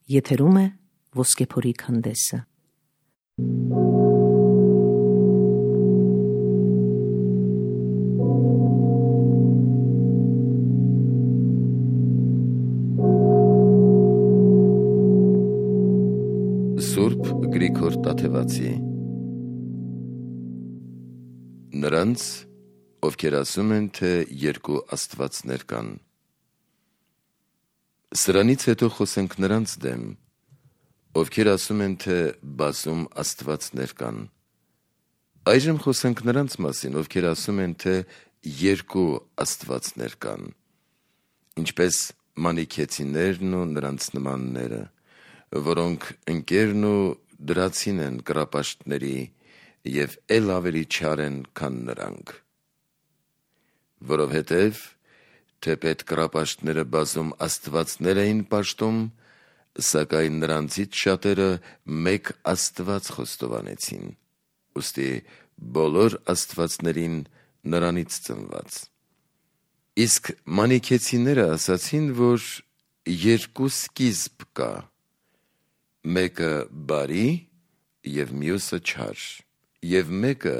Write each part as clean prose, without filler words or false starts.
Եթերում է Ոսկեփորի քանդեսը։ Սուրբ Գրիգոր Տաթևացի։ Նրանց, ովքեր ասում են, թե երկու աստվածներ կան։ Սրանից հետո խոսենք նրանց դեմ, ովքեր ասում են, թե բազում աստվածներ կան։ Այժմ խոսենք նրանց մասին, ովքեր ասում են, թե երկու աստվածներ կան, ինչպես մանիքեցիներն ու նրանց նմանները, որոնք ընկերն ու դրացին են կռապաշտների և էլ ավելի չար են, քան նրանք։ Որովհետև թեպետ կռապաշտները բազում աստվածներ էին պաշտում, սակայն նրանցից շատերը մեկ Աստված խոստովանեցին, ուստի բոլոր աստվածներին նրանից ծնված։ Իսկ մանիքեցիները ասացին, որ երկու սկիզբ կա, մեկը բարի և մյուսը չար, և մեկը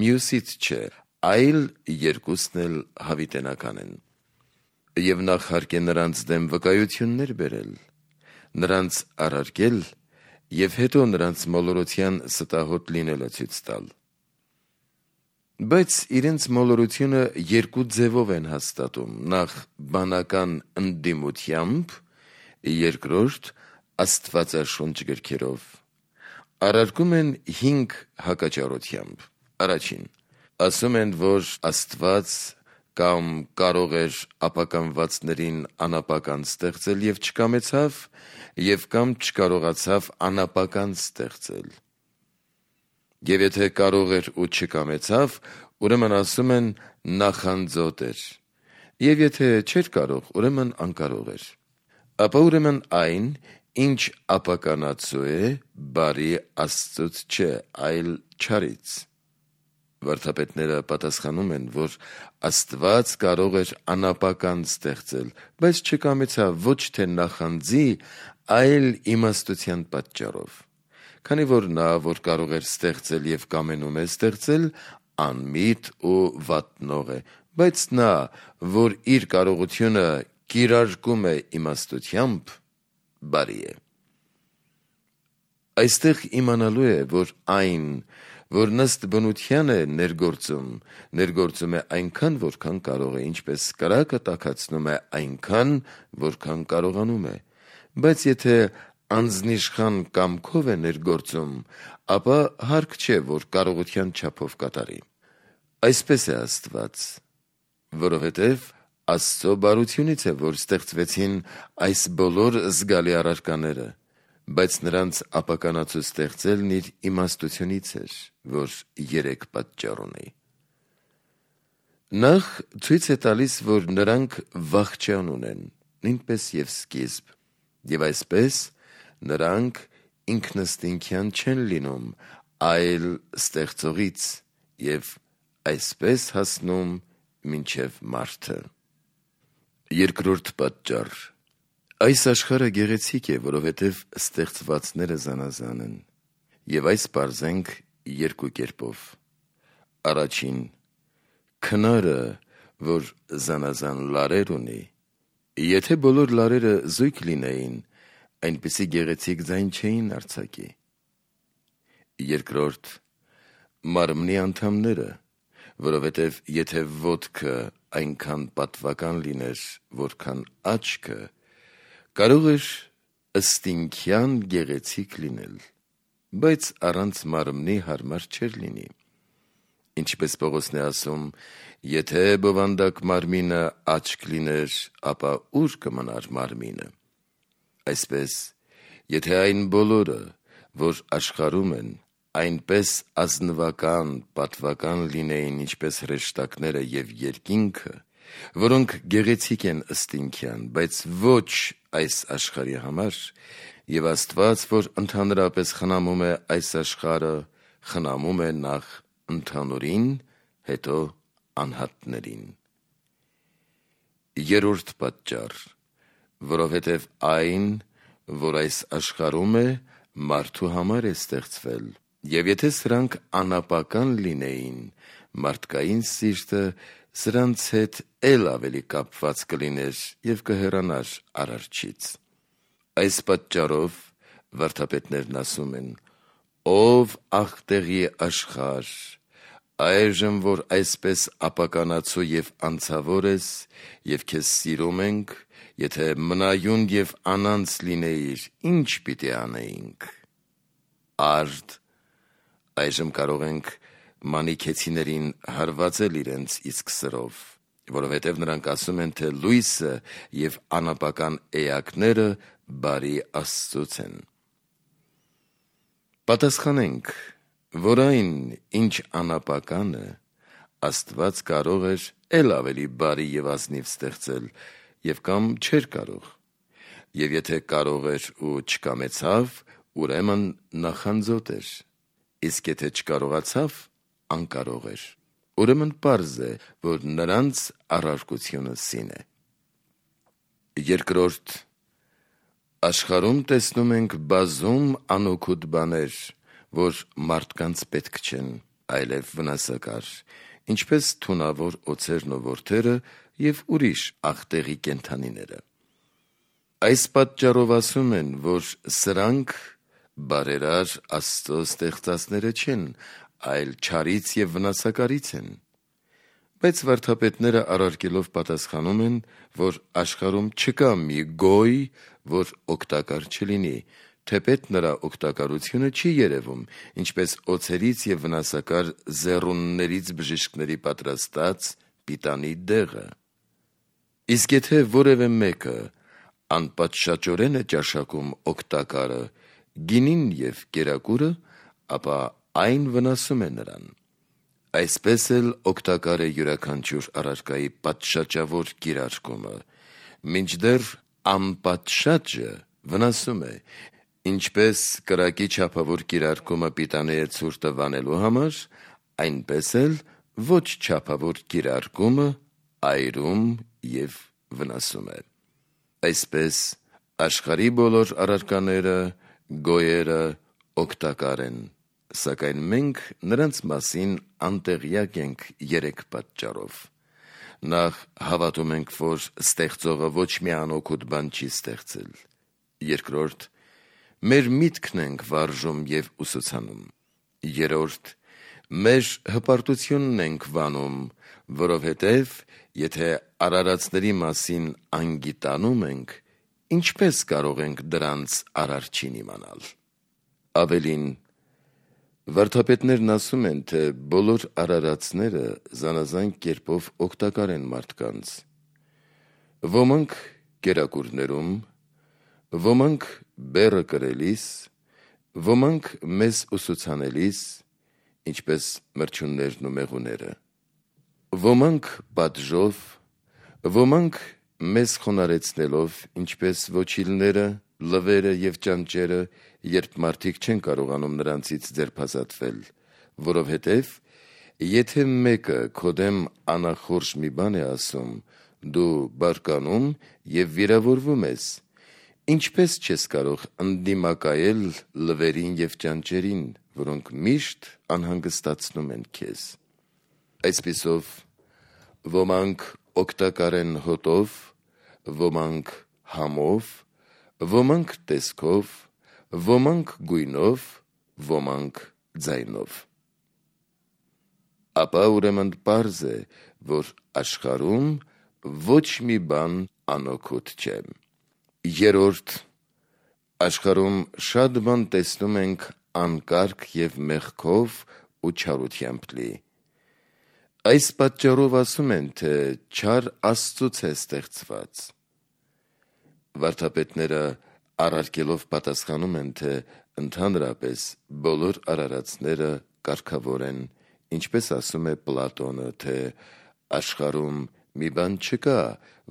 մյուսից չէ, այլ երկուսն էլ հավիտենական են։ Եվ նախ հարկ է նրանց դեմ վկայություններ բերել, նրանց առարկել և հետո նրանց մոլորության ստահոդ լինելը ցույց տալ։ Բայց իրենց մոլորությունը երկու ձևով են հաստատում, նախ բանական ընդդիմությամբ, երկրորդ աստվածաշունչ գրքերով։ Առարկում են 5 հակաճառությամբ։ Առաջին, ասում են, որ Աստված կամ կարող էր ապականվածներին անապական ստեղծել և չկամեցավ, և կամ չկարողացավ անապական ստեղծել։ Եվ եթե կարող էր ու չկամեցավ, ուրեմն ասում են նախանձոտ էր, և եթե չէր կարող, ուրեմն անկարող էր։ Ապա ուրեմն այն, ինչ ապականացու է, բարի Աստծուց չէ, այլ չարից։ Վարդապետները պատասխանում են, որ Աստված կարող էր անապական ստեղծել, բայց չկամեցավ ոչ թե նախանձի, այլ իմաստության պատճառով, քանի որ նա, որ կարող էր ստեղծել և կամենում է ստեղծել, անմիտ ու վատնող է, բայց նա, որ իր կարողությունը կիրարկում է իմաստությամբ, բարի է։ Այստեղ իմանալու է, որ այն, որ ըստ բնության է ներգործում է այնքան, որքան կարող է, ինչպես կրակը տաքացնում է այնքան, որքան կարողանում է, բայց եթե անձնիշխան կամքով է ներգործում, ապա հարկ չէ, որ կարողության չափով կատարի։ Այսպես է Աստված, որովհետև Աստծո բարությունից է, որ ստեղծվեցին այս բոլոր զգալի առարկաները, բայց նրանց ապականացու ստեղծելն իր իմաստությունից էր, որ 3 պատճառ ունի։ Նախ ցույց է տալիս, որ նրանք վախճան ունեն, նույնպես և սկիզբ, և այսպես նրանք ինքնըստինքյան չեն լինում, այլ ստեղծողից, և այսպես հասնում մինչև մարդը։ Երկրորդ պատճառ. այս աշխարհը գեղեցիկ է, որովհետև ստեղծվածները զանազան են, և այս պարզենք 2 կերպով։ Առաջին, քնարը, որ զանազան լարեր ունի, եթե բոլոր լարերը զույգ լինեին, այնպիսի գեղեցիկ ձայն չէին արձակի։ Երկրորդ, մարմնի անդամները, որովհետև եթե ոտքը այնքան պատվական լիներ, որքան աչքը, կարող էր ըստինքյան գեղեցիկ լինել, բայց առանց մարմնի հարմար չէր լինի։ Ինչպես Պողոսն է ասում, եթե բովանդակ մարմինը աչք լիներ, ապա ուր կմնար մարմինը։ Այսպես, եթե այն բոլորը, որ աշխարհում են, այնպես ազնվական, պատվական լինեին, ինչպես հրեշտակները և երկինքը, որոնք գեղեցիկ են ըստինքյան, բայց ոչ այս աշխարհի համար, և Աստված, որ ընդհանրապես խնամում է այս աշխարհը, խնամում է նախ ընդհանուրին, հետո անհատներին։ Երրորդ պատճառ. որովհետև այն, որ այս աշխարհում է, մարդու համար է ստեղծվել, եւ եթե սրանք անապական լինեին, մարդկային սիրտը սրանց հետ էլ ավելի կապված կլիներ եւ կհեռանար Արարչից։ Այս պատճառով վարդապետներն ասում են. «Ով աղտեղի աշխարհ, այժմ որ այսպես ապականացու եւ անցավոր ես, եւ քեզ սիրում ենք, եթե մնայուն եւ անանց լինեիր, ինչ պիտի անեինք»։ Արդ այժմ կարող ենք մանիքեցիներին հարվածել իրենց իսկ սրով, որովհետև նրանք ասում են, թե լույսը եւ անապական էակները բարի Աստծուց են։ Պատասխանենք, որ այն, ինչ անապականը, Աստված կարող էր էլ ավելի բարի եւ ազնիվ ստեղծել, եւ կամ չէր կարող, եւ եթե կարող էր ու չկամեցավ, ուրեմն նախանձոտ էր, իսկ եթե չկարողացավ, անկարող էր, ուրեմն պարզ է, որ նրանց առարկությունը սին է։ Երկրորդ, աշխարհում տեսնում ենք բազում անօգուտ բաներ, որ մարդկանց պետք չեն, այլև վնասակար, ինչպես թունավոր օձերն ու որդերը եւ ուրիշ աղտեղի կենդանիները։ Այս պատճառով ասում են, որ սրանք բարերար Աստծո ստեղծածները չեն, այլ չարից եւ վնասակարից են։ Բայց վարդապետները առարկելով պատասխանում են, որ աշխարհում չկա մի գոյ, որ օգտակար չլինի, թեպետ նրա օգտակարությունը չի երևում, ինչպես օձերից եւ վնասակար զեռուններից բժիշկների պատրաստած պիտանի դեղը։ Իսկ եթե որևէ մեկը անպատշաճորեն է ճաշակում օգտակարը, գինին եւ կերակուրը, ապա այն վնասում է նրան։ Այսպես էլ օգտակար է յուրաքանչյուր առարկայի պատշաճավոր կիրարկումը, մինչդեռ անպատշաճը վնասում է, ինչպես կրակի չափավոր կիրարկումը պիտանի է ցուրտը վանելու համար, այնպես էլ ոչ չափավոր կիրարկումը այրում եւ վնասում է։ Այսպես աշխարհի բոլոր առարկաները, գոյերը օգտակար են, սակայն մենք նրանց մասին անտեղյակ ենք երեք պատճառով։ Նախ հավատում ենք, որ ստեղծողը ոչ մի անօգուտ բան չի ստեղծել։ Երկրորդ, մեր միտքն ենք վարժում եւ ուսուցանում։ Երրորդ, մեր հպարտությունն ենք վանում, որովհետև եթե արարածների մասին անգիտանում ենք, ինչպես կարող ենք դրանց արարչին իմանալ։ Ավելին, վարդապետներն ասում են, թե բոլոր արարածները զանազան կերպով օգտակար են մարդկանց։ Ոմանք կերակուրներում, ոմանք բեռը կրելիս, ոմանք մեզ ուսուցանելիս, ինչպես մրջյուններն ու մեղուները, ոմանք պատժով, ոմանք մեզ խոնարեցնելով, ինչպես ոչիլները, լվերը եւ ճանճերը, երբ մարդիկ չեն կարողանում նրանցից ձերբազատվել, որովհետև եթե մեկը քո դեմ անախորժ մի բան է ասում, դու բարկանում եւ վիրավորվում ես, ինչպես չես կարող ընդդիմակայել լվերին եւ ճանճերին, որոնք միշտ անհանգստացնում են քեզ։ Այսպիսով ոմանք օգտակար են հոտով, ոմանք համով, ոմանք տեսքով, ոմանք գույնով, ոմանք ձայնով։ Ապա ուրեմն պարզ է, որ աշխարհում ոչ մի բան անօգուտ չէ։ Երրորդ, աշխարհում շատ բան տեսնում ենք անկարգ եւ մեղքով ու չարությամբ լի։ Այս պատճառով ասում են, թե չար Աստծուց է ստեղծված։ Վարդապետները առարկելով պատասխանում են, թե ընդհանրապես բոլոր արարածները կարգավոր են, ինչպես ասում է Պլատոնը, թե աշխարհում մի բան չկա,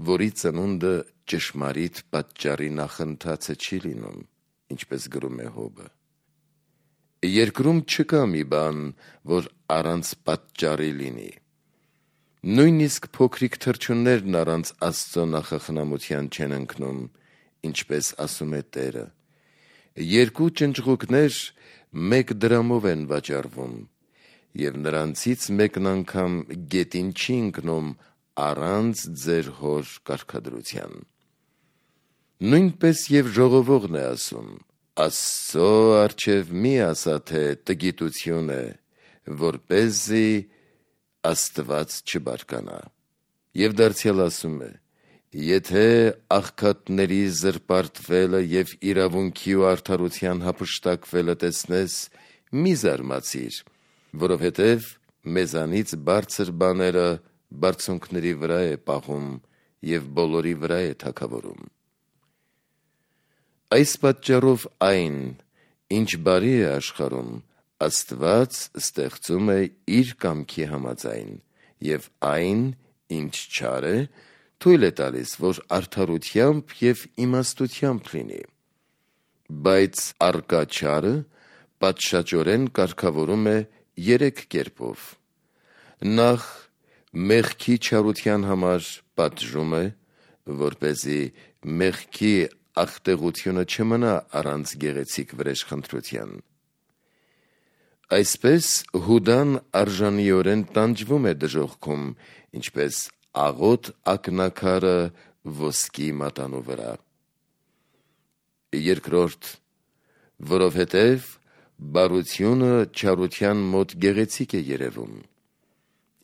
որի ծնունդը ճշմարիտ պատճառի նախընթացը չի լինում, ինչպես գրում է Հոբը։ Երկրում չկա մի բան, որ առանց պատճառի լինի։ Նույնիսկ փոքրիկ թռչուններն առանց Աստծո նախախնամության չեն ընկնում, ինչպես ասում է Տերը։ Երկու ճնճղուկներ մեկ դրամով են վաճառվում, և նրանցից մեկն անգամ գետին չի ընկնում առանց ձեր հոր կարգադրության։ Նույնպես և ժողովողն է ասում. Աստծո առջև մի ասա, թե տգիտություն է, որպեսզի Աստված չբարկանա։ Եվ դարձյալ ասում է. եթե աղքատների զրպարտվելը և իրավունքի ու արդարության հափշտակվելը տեսնես, մի զարմացիր, որովհետև մեզանից բարձր բաները բարձունքների վրա է պահում և բոլորի վրա է թագավորում։ Այս պատճառով այն, ինչ բարի է աշխարհում, Աստված ստեղծում է իր կամքի համաձայն, և այն, ինչ չար է, թույլ է տալիս, որ արդարությամբ և իմաստությամբ լինի։ Բայց առկա չարը պատշաճորեն կարգավորում է 3 կերպով. Նախ, մեղքի չարության համար պատժում է, որպեսզի մեղքի աղտեղությունը չմնա առանց գեղեցիկ վրեժխնդրության։ Այսպես Հուդան արժանիորեն տանջվում է դժոխքում, ինչպես աղոտ ակնաքարը ոսկի մատանու վրա։ Երկրորդ, որովհետև բարությունը չարության մոտ գեղեցիկ է երևում,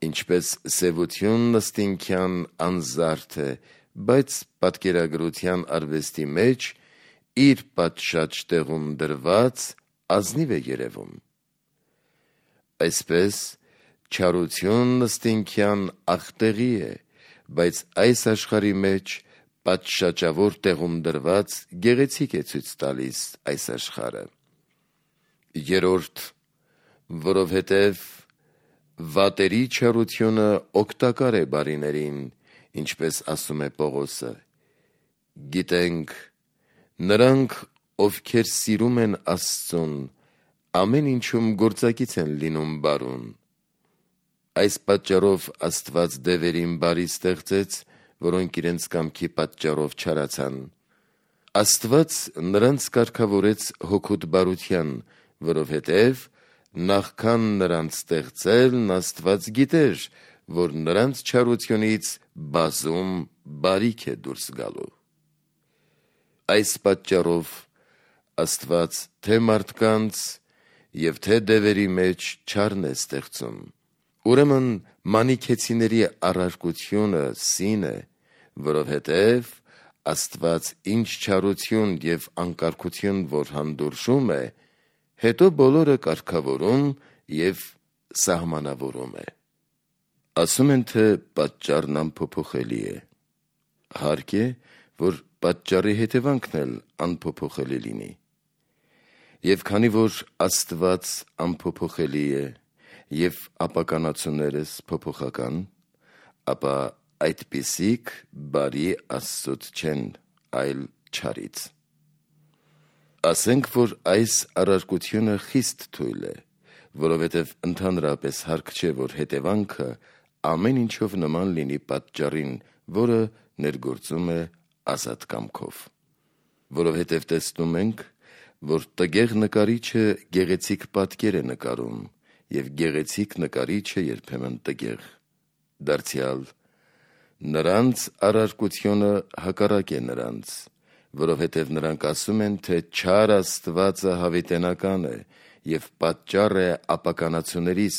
ինչպես սևություն նստինքյան անզարդ է, բայց պատկերագրության արվեստի մեջ իր պատշաճ տեղում դրված ազնիվ է երևում։ Այսպես չարություն նստինքյան աղտեղի է, բայց այս աշխարհի մեջ պատշաճավոր տեղում դրված գեղեցիկ է ցույց տալիս այս աշխարհը։ Երրորդ, որովհետև վատերի չարությունը օգտակար է բարիներին, ինչպես ասում է Պողոսը. գիտենք, նրանք, ովքեր սիրում են Աստծուն, ամեն ինչում գործակից են լինում բարուն։ Այս պատճառով Աստված դևերին բարի ստեղծեց, որոնք իրենց կամքի պատճառով չարացան։ Աստված նրանց կարգավորեց հոգուտ բարության, որովհետև նախքան նրանց ստեղծելն Աստված գիտեր, որ նրանց չարությունից բազում բարիք է դուրս գալու։ Այս պատճառով Աստված թե մարդկանց և թե դևերի մեջ չարն է ստեղծում։ Ուրեմն մանիքեցիների առարկությունը սին է, որովհետև Աստված ինչ չարություն և անկարգություն որ հանդուրժում է, հետո բոլորը կարգավորում և սահմանավորում է։ Ասում են, թե պատճառն անփոփոխելի է։ Հարկ է, որ պատճառի հետևանքն էլ անփոփոխելի լինի։ Եվ քանի որ Աստված անփոփոխելի է, և ապականացուներս փոփոխական, ապա այդպիսիք բարի Աստծուց չեն, այլ չարից։ Ասենք, որ այս առարկությունը խիստ թույլ է, որովհետև ընդհանրապես հարկ չէ, որ հետևանքը ամեն ինչով նման լինի պատճառին, որը ներգործում է ազատ կամքով։ Որովհետև տեսնում ենք, որ տգեղ նկարիչը գեղեցիկ պատկեր է նկարում, և գեղեցիկ նկարիչը երբեմն տգեղ։ Դարձյալ, նրանց առարկությունը հակառակ է նրանց, որովհետև նրանք ասում են, թե չար Աստվածը հավիտենական է և պատճառ է ապականացուներիս,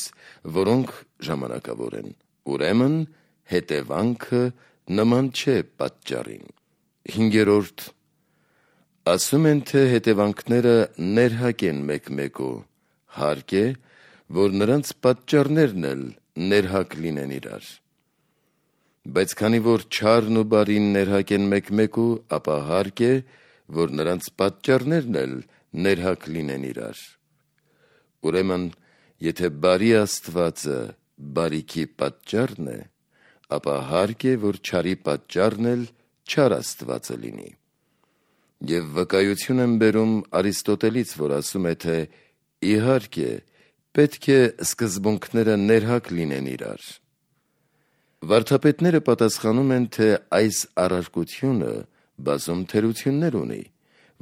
որոնք ժամանակավոր են, ուրեմն հետևանքը նման չէ պատճառին։ Հինգերորդ, ասում են, թե հետևանքները ներհակ են մեկ-մեկու, հարկ է, որ նրանց պատճառներն էլ ներհակ լինեն իրար։ Բայց քանի որ չարն ու բարին ներհակ են մեկ-մեկու, ապա հարկ է, որ նրանց պատճառներն էլ ներհակ լինեն իրար։ Ուրեմն, եթե բարի Աստվածը բարիքի պատճառն է, ապա հարկ է, որ չարի պատճառն էլ չար Աստվածը լինի։ Եվ վկայություն եմ բերում Արիստոտելից, որ ասում է, թե իհարկե, պետք է սկզբունքները ներհակ լինեն իրար։ Վարդապետները պատասխանում են, թե այս առարկությունը բազում թերություններ ունի,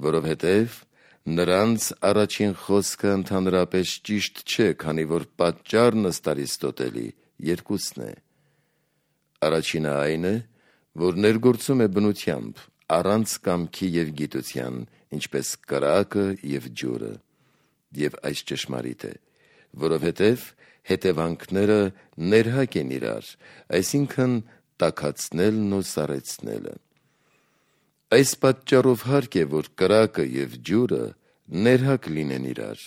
որովհետև նրանց առաջին խոսքը ընդհանրապես ճիշտ չէ, քանի որ պատճառն ըստ Արիստոտելի երկուսն է։ Առաջինը այն է, որ ներգործում է բնությամբ, առանց կամքի և գիտության, ինչպես կրակը և ջուրը, և այս ճշմարիտ է, որովհետև հետևանքները ներհակ են իրար, այսինքն տաքացնելն ու սառեցնելը։ Այս պատճառով հարկ է, որ կրակը և ջուրը ներհակ լինեն իրար։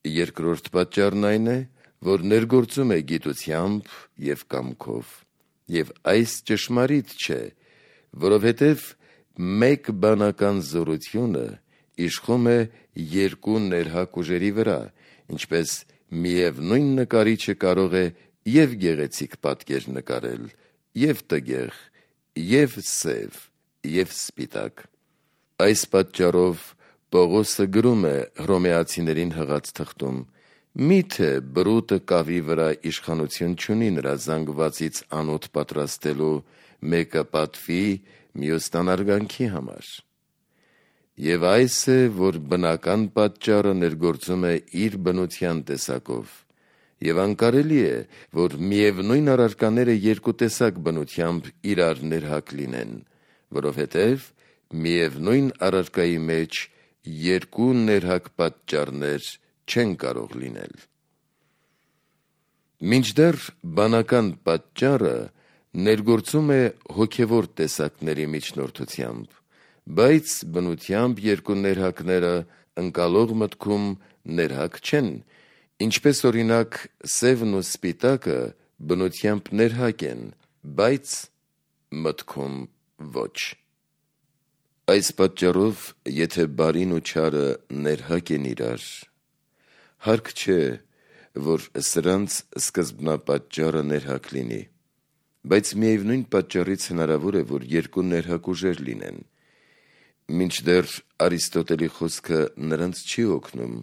Երկրորդ պատճառն այն է, որ ներգործում է գիտությամբ և կամքով, և այս ճշմարիտ չէ, որովհետև մեկ բանական զորությունը իշխում է երկու ներհակ ուժերի վրա, ինչպես միևնույն նկարիչը կարող է և գեղեցիկ պատկեր նկարել, և տգեղ, և սև, և սպիտակ։ Այս պատճառով Պողոսը գրում է Հռոմեացիներին հղած թղթում. «Միթե բրուտը կավի վրա իշխանություն չունի նրա զանգվածից անոթ պատրաստելու, մեկը պատվի, մյուսն անարգանքի համար»։ Եվ այս է, որ բնական պատճառը ներգործում է իր բնության տեսակով, և անկարելի է, որ միևնույն առարկաները երկու տեսակ բնությամբ իրար ներհակ լինեն, որովհետև միևնույն առարկայի մեջ երկու ներհակ պատճառներ չեն կարող լինել։ Մինչդեռ բանական պատճառը ներգործում է հոգևոր տեսակների միջնորդությամբ, բայց բնությամբ երկու ներհակները ընկալող մտքում ներհակ չեն, ինչպես օրինակ սևն ու սպիտակը բնությամբ ներհակ են, բայց մտքում ոչ։ Այս պատճառով, եթե բարին ու չարը ներհակ են իրար, հարկ չէ, որ սրանց սկզբնապատճառը ներհակ լինի, բայց միևնույն պատճառից հնարավոր է, որ երկու ներհակ ուժեր լինեն։ Մինչդեռ Արիստոտելի խոսքը նրանց չի օգնում,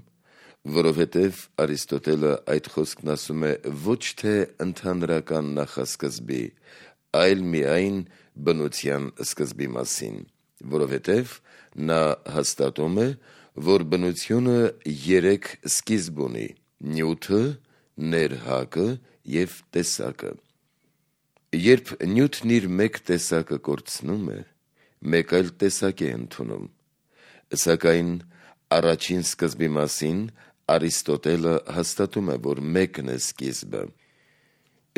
որովհետև Արիստոտելը այդ խոսքն ասում է ոչ թե ընդհանրական նախասկզբի, այլ միայն բնության սկզբի մասին, որովհետև նա հաստատում է, որ բնությունը երեք սկիզբ ունի՝ նյութը, ներհակը և տեսակը։ Երբ նյութն իր մեկ տեսակը կորցնում է, մեկ այլ տեսակ է ընդունում, սակայն առաջին սկզբի մասին Արիստոտելը հաստատում է, որ մեկն է սկիզբը,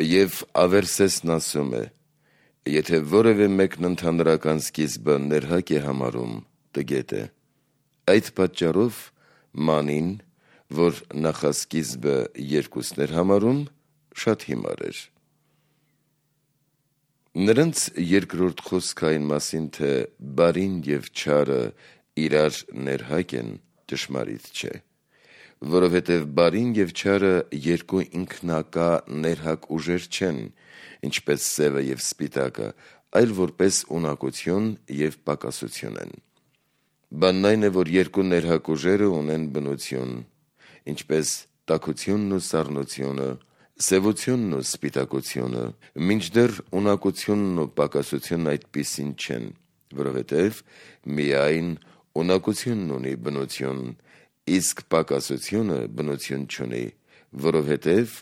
և Ավերսեսն ասում է. եթե որևէ մեկն ընդհանրական սկիզբը ներհակ է համարում, տգետ է։ Այդ պատճառով մանին, որ նախասկիզբը երկուսն էր համարում, շատ հիմար էր։ Նրանց երկրորդ խոսքը այն մասին, թե բարին և չարը իրար ներհակ են, ճշմարիտ չէ, որովհետև բարին և չարը երկու ինքնակա ներհակ ուժեր չեն, ինչպես սևը և սպիտակը, այլ որպես ունակություն և պակասություն են։ Բանն այն է, որ երկու ներհակ ուժերը ունեն բնություն, ինչպես տաքությունն ու սառնությունը, սևությունն ու սպիտակությունը, մինչդեռ ունակությունն ու պակասությունն այդպիսին չեն, որովհետև միայն ունակությունն ունի բնություն, իսկ պակասությունը բնություն չունի, որովհետև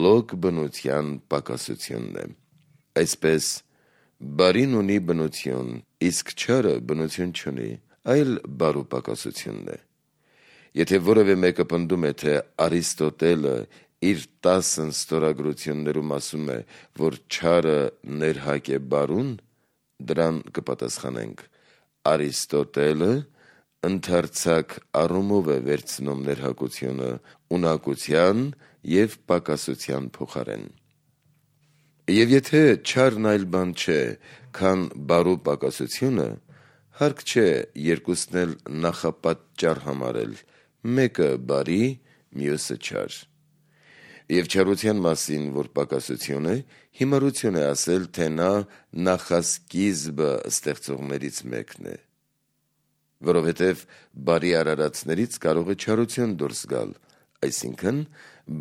լոկ բնության պակասությունն է։ Այսպես, բարին ունի բնություն, իսկ չարը բնություն չունի, այլ բարու պակասությունն է։ Եթե որևէ մեկը պնդում է, թե Արիստոտելը իր 10 ստորագրություններում ասում է, որ չարը ներհակ է բարուն, դրան կպատասխանենք. Արիստոտելը ընդարձակ առումով է վերցնում ներհակությունը ունակության և պակասության փոխարեն։ Եվ եթե չարն այլ բան չէ, քան բարու պակասությունը, հարկ չէ երկուսն էլ նախապատճառ համարել, մեկը բարի, մյուսը չար։ Եվ չարության մասին, որ պակասություն է, հիմարություն է ասել, թե նա նախասկիզբը ստեղծողներից մեկն է, որովհետև բարի արարածներից կարող է չարություն դուրս գալ, այսինքն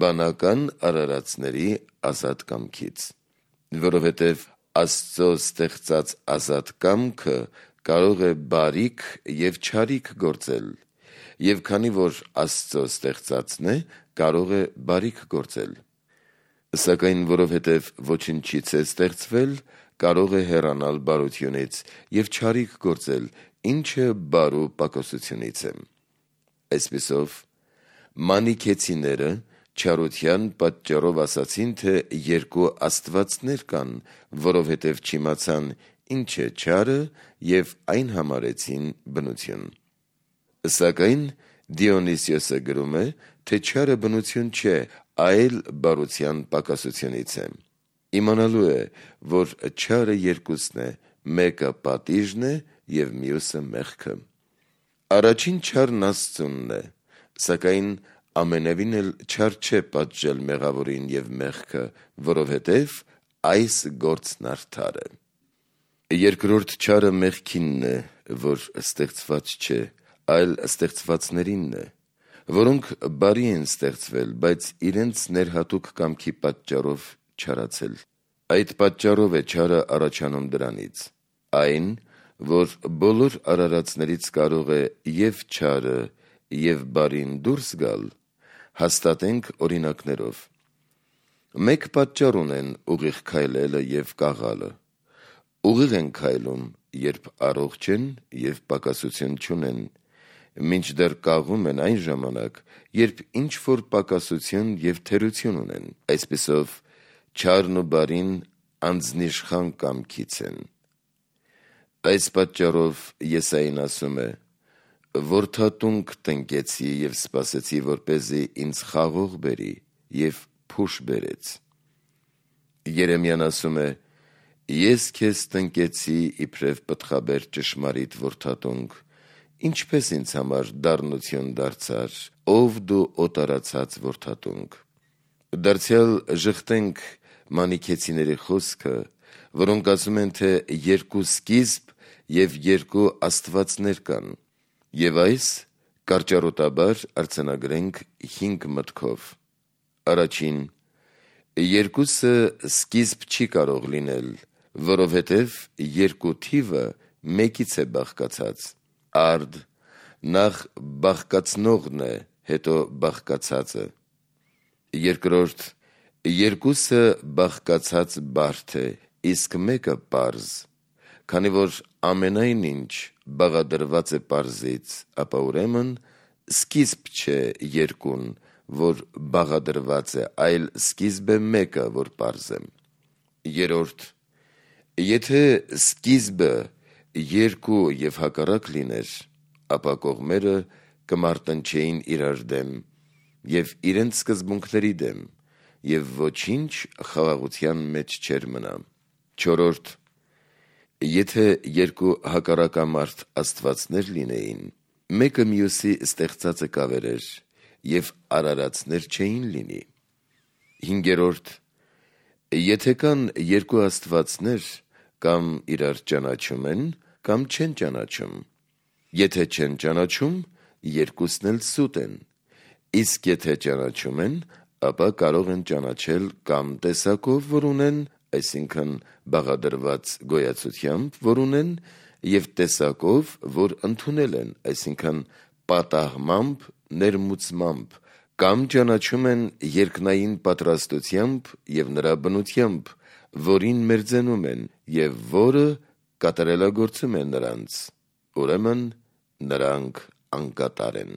բանական արարածների ազատ կամքից, որովհետև Աստծո ստեղծած ազատ կամքը կարող է բարիք եւ չարիք գործել, եւ քանի որ Աստծո ստեղծածն է, կարող է բարիք գործել։ Սակայն որովհետև ոչնչից է ստեղծվել, կարող է հեռանալ բարությունից եւ չարիք գործել, ինչը բարու պակասությունից է։ Այսպիսով, մանիքեցիները չարության պատճառով ասացին, թե երկու աստվածներ կան, որովհետև չիմացան ինչ է չարը եւ այն համարեցին բնություն։ Սակայն Դիոնիսիոսը գրում է, թե չարը բնություն չէ, այլ բարության պակասությունից է։ Իմանալու է, որ չարը երկուսն է, մեկը պատիժն է եւ մյուսը մեղքը։ Առաջին չարն Աստծունն է, սակայն ամենևին էլ չար չէ պատժել մեղավորին եւ մեղքը, որովհետեւ այս գործն արդար է։ Երկրորդ չարը մեղքինն է, որ ստեղծված չէ, այլ ստեղծվածներինն է, որոնք բարի են ստեղծվել, բայց իրենց ներհատուկ կամքի պատճառով չարացել։ Այդ պատճառով է չարը առաջանում դրանից։ Այն, որ բոլոր արարածներից կարող է եւ չարը, եւ բարին դուրս գալ, հաստատենք օրինակներով։ Մեկ պատճառ ունեն ուղիղ քայլելը եւ կաղալը։ Ուղիղ են քայլում, երբ առողջ են եւ պակասություն չունեն, մինչդեռ կաղում են այն ժամանակ, երբ ինչ-որ պակասություն եւ թերություն ունեն։ Այսպիսով, չարն ու բարին անձնիշխան կամքից են։ Այս պատճառով Եսային ասում է. «Որդատունք տնկեցի եւ սպասեցի, որպեսզի ինձ խաղող բերի, եւ փուշ բերեց»։ Երեմիան ասում է. «Ես քեզ տնկեցի իբրև պտղաբեր ճշմարիտ որդատունք, ինչպես ինձ համար դառնություն դարձար, ով դու օտարացած որդատունք»։ Դարձյալ ժխտենք մանիքեցիների խոսքը, որոնք ասում են, թե երկու սկիզբ եւ երկու աստվածներ կան, եւ այս կարճառոտաբար արձանագրենք 5 մտքով։ Առաջին, երկուսը սկիզբ չի կարող լինել, որովհետև երկու թիվը մեկից է բաղկացած։ Արդ նախ բաղկացնողն է, հետո բաղկացածը։ Երկրորդ, երկուսը բաղկացած բարդ է, իսկ մեկը պարզ։ Քանի որ ամենայն ինչ բաղադրված է պարզից, ապա ուրեմն սկիզբ չէ երկուն, որ բաղադրված է, այլ սկիզբ է մեկը, որ պարզ է։ Երրորդ, եթե սկիզբը երկու եւ հակառակ լիներ, ապա կողմերը կմարտնչեին իրար դեմ եւ իրենց սկզբունքների դեմ, եւ ոչինչ խաղաղության մեջ չէր մնա։ Չորրորդ, եթե երկու հակառակամարդ աստվածներ լինեին, մեկը մյուսի ստեղծածը կավերեր եւ արարածներ չէին լինի։ Հինգերորդ, եթե կան երկու աստվածներ, կամ իրար ճանաչում են, կամ չեն ճանաչում։ Եթե չեն ճանաչում, երկուսն էլ սուտ են, իսկ եթե ճանաչում են, ապա կարող են ճանաչել կամ տեսակով, որ ունեն, այսինքն բաղադրված գոյացությամբ, որ ունեն, եւ տեսակով, որ ընդունել են, այսինքն պատահմամբ, ներմուծմամբ, կամ ճանաչում են երկնային պատրաստությամբ եւ նրա բնությամբ, որին մերձենում են եւ որը կատարելագործում է նրանց, ուրեմն նրանք անկատար են։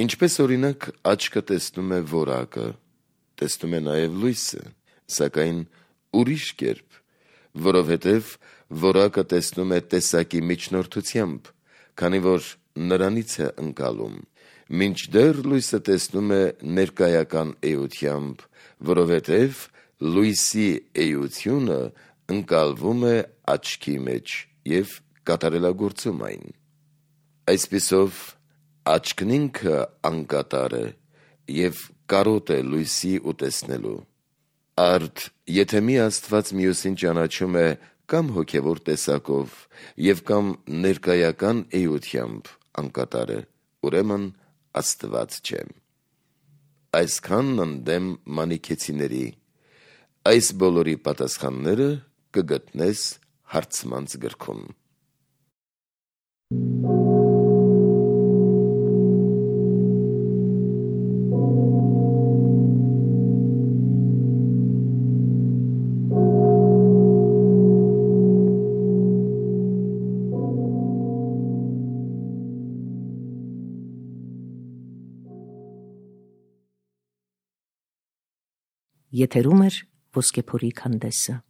Ինչպես օրինակ աչքը տեսնում է որակը, տեսնում է նաեւ լույսը, սակայն ուրիշ կերպ, որովհետև որակը տեսնում է տեսակի միջնորդությամբ, քանի որ նրանից է ընկալում, մինչդեռ լույսը տեսնում է ներկայական էությամբ, որովհետև լույսի էությունը ընկալվում է աչքի մեջ եւ կատարելագործում այն։ Այսպիսով աչքն ինքը անկատար է եւ կարոտ է լույսի ու տեսնելու։ Արդ եթե մի աստված մյուսին ճանաչում է կամ հոգևոր տեսակով եւ կամ ներկայական էությամբ անկատար է, ուրեմն աստված չէ։ Այսքանն ընդդեմ մանիքեցիների, այս բոլորի պատասխանները կգտնես հարցմանց գրքում։ Եթերում է Ոսկեփորի քանդեսը։